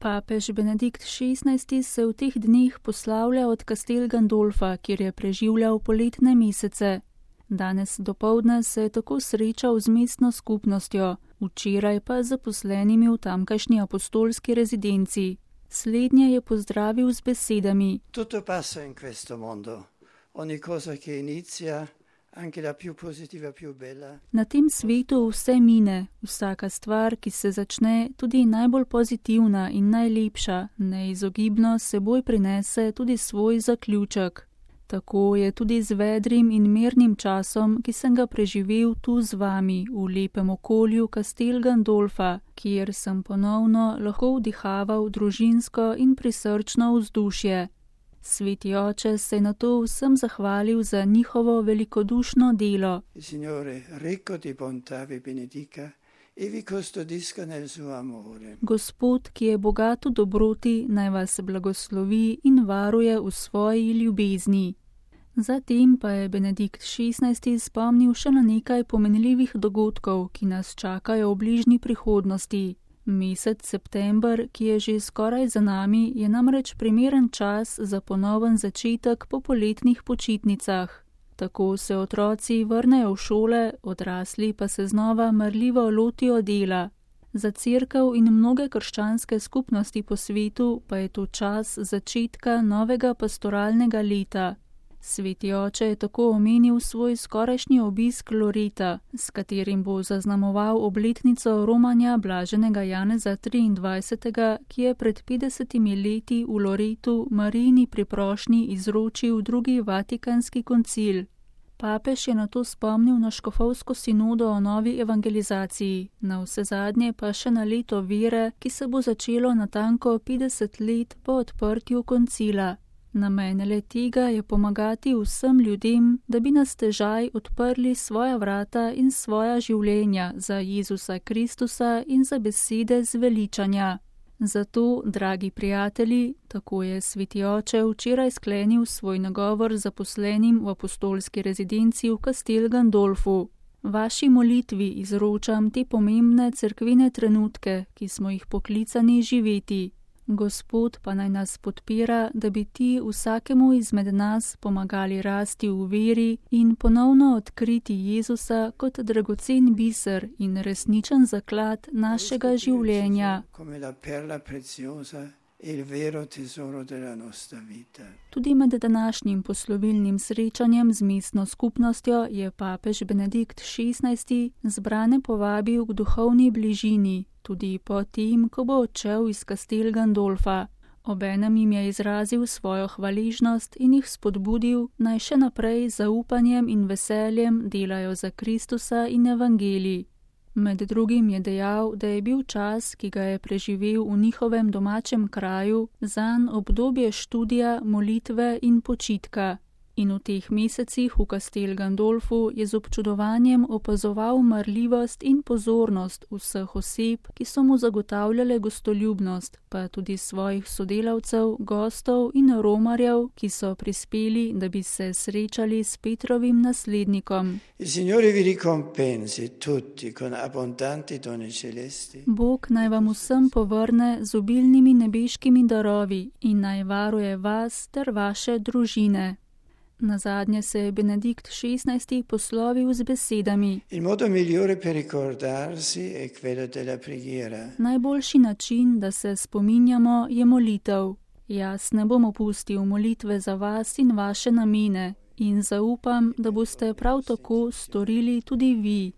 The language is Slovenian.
Papež Benedikt XVI se v teh dneh poslavlja od Castel Gandolfa, kjer je preživljal poletne mesece. Danes dopoldne se je tako srečal z mestno skupnostjo, včeraj pa z zaposlenimi v tamkajšnji apostolski rezidenci. Slednje je pozdravil z besedami: Tutto passa in questo mondo. Ogni cosa che inizia, anche la più positiva, più bella. Na tem svetu vse mine, vsaka stvar, ki se začne, tudi najbolj pozitivna in najlepša, neizogibno seboj prinese tudi svoj zaključek. Tako je tudi z vedrim in mirnim časom, ki sem ga preživel tu z vami, v lepem okolju Castel Gandolfa, kjer sem ponovno lahko vdihaval družinsko in prisrčno vzdušje. Sveti oče se je nato vsem zahvalil za njihovo velikodušno delo. Gospod, ki je bogat v dobroti, naj vas blagoslovi in varuje v svoji ljubezni. Zatem pa je Benedikt XVI spomnil še na nekaj pomenljivih dogodkov, ki nas čakajo v bližnji prihodnosti. Mesec september, ki je že skoraj za nami, je namreč primeren čas za ponoven začetek po poletnih počitnicah. Tako se otroci vrnejo v šole, odrasli pa se znova marljivo lotijo dela. Za cerkev in mnoge krščanske skupnosti po svetu pa je to čas začetka novega pastoralnega leta. Sveti oče je tako omenil svoj skorajšnji obisk Loreta, s katerim bo zaznamoval obletnico romanja blaženega Janeza 23., ki je pred 50 leti v Loretu Marijini priprošnji izročil drugi vatikanski koncil. Papež je nato spomnil na škofovsko sinodo o novi evangelizaciji, na vsezadnje pa še na leto vere, ki se bo začelo natanko 50 let po odprtju koncila. Namen le tega je pomagati vsem ljudem, da bi na stežaj odprli svoja vrata in svoja življenja za Jezusa Kristusa in za besede zveličanja. Zato, dragi prijatelji, tako je sveti oče včeraj sklenil svoj nagovor zaposlenim v apostolski rezidenci v Castel Gandolfu. Vaši molitvi izročam te pomembne cerkvene trenutke, ki smo jih poklicani živeti. Gospod pa naj nas podpira, da bi ti vsakemu izmed nas pomagali rasti v veri in ponovno odkriti Jezusa kot dragocen biser in resničen zaklad našega življenja. Tudi med današnjim poslovilnim srečanjem z mestno skupnostjo je papež Benedikt XVI zbrane povabil k duhovni bližini, tudi po tem, ko bo odšel iz Castel Gandolfa. Obenem jim je izrazil svojo hvaležnost in jih spodbudil, naj še naprej z zaupanjem in veseljem delajo za Kristusa in evangelij. Med drugim je dejal, da je bil čas, ki ga je preživel v njihovem domačem kraju, zanj obdobje študija, molitve in počitka. In v teh mesecih v Castel Gandolfu je z občudovanjem opazoval marljivost in pozornost vseh oseb, ki so mu zagotavljale gostoljubnost, pa tudi svojih sodelavcev, gostov in romarjev, ki so prispeli, da bi se srečali s Petrovim naslednikom. Bog naj vam vsem povrne z obilnimi nebeškimi darovi in naj varuje vas ter vaše družine. Nazadnje se je Benedikt XVI poslovil z besedami: Najboljši način, da se spominjamo, je molitev. Jaz ne bom opustil molitve za vas in vaše namene in zaupam, da boste prav tako storili tudi vi.